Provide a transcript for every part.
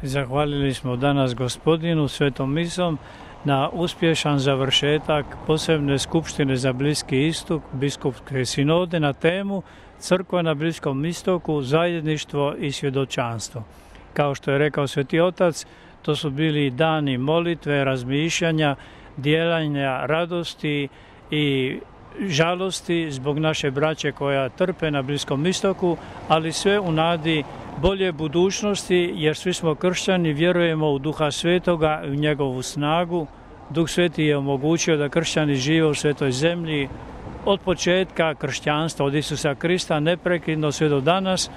Zahvalili smo danas Gospodinu svetom misom na uspješan završetak posebne skupštine za Bliski istok, biskupske sinode na temu Crkva na Bliskom istoku, zajedništvo i svjedočanstvo. Kao što je rekao Sveti Otac, to su bili dani molitve, razmišljanja, dijelanja radosti i žalosti zbog naše braće koja trpe na Bliskom istoku, ali sve u nadi bolje budućnosti, jer svi smo kršćani, vjerujemo u Duha Svetoga i u njegovu snagu. Duh Sveti je omogućio da kršćani žive u svetoj zemlji od početka kršćanstva, od Isusa Krista, neprekidno sve do danas,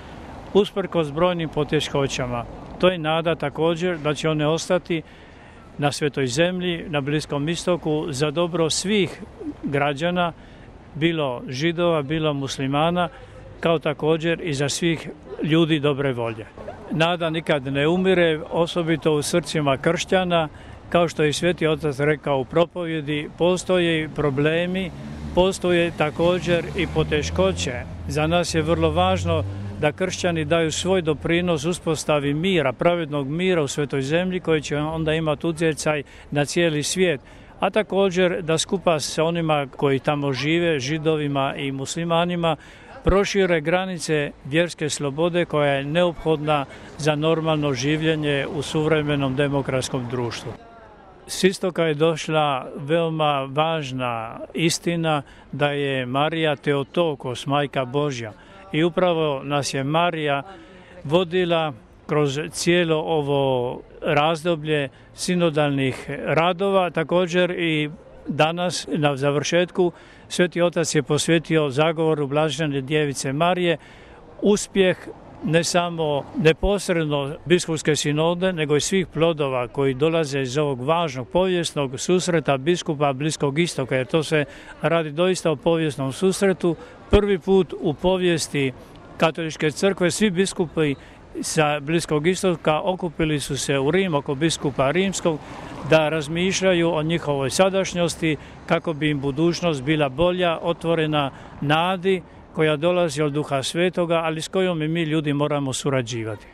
usprkos brojnim poteškoćama. To je nada također da će one ostati na svetoj zemlji, na Bliskom istoku, za dobro svih građana, bilo Židova, bilo muslimana, kao također i za svih ljudi dobre volje. Nada nikad ne umire, osobito u srcima kršćana, kao što je Sveti Otac rekao u propovjedi, postoje problemi, postoje također i poteškoće. Za nas je vrlo važno da kršćani daju svoj doprinos uspostavi mira, pravednog mira u svetoj zemlji koji će onda imati utjecaj na cijeli svijet, a također da skupa sa onima koji tamo žive, Židovima i muslimanima, prošire granice vjerske slobode koja je neophodna za normalno življenje u suvremenom demokratskom društvu. S istoka je došla veoma važna istina da je Marija Teotokos, Majka Božja. I upravo nas je Marija vodila kroz cijelo ovo razdoblje sinodalnih radova. Također i danas na završetku Sveti Otac je posvetio zagovoru Blažene Djevice Marije uspjeh ne samo neposredno biskupske sinode, nego i svih plodova koji dolaze iz ovog važnog povijesnog susreta biskupa Bliskog istoka, jer to se radi doista o povijesnom susretu. Prvi put u povijesti Katoličke crkve svi biskupi sa Bliskog istoka okupili su se u Rim oko biskupa rimskog da razmišljaju o njihovoj sadašnjosti kako bi im budućnost bila bolja, otvorena nadi koja dolazi od Duha Svetoga, ali s kojom i mi ljudi moramo surađivati.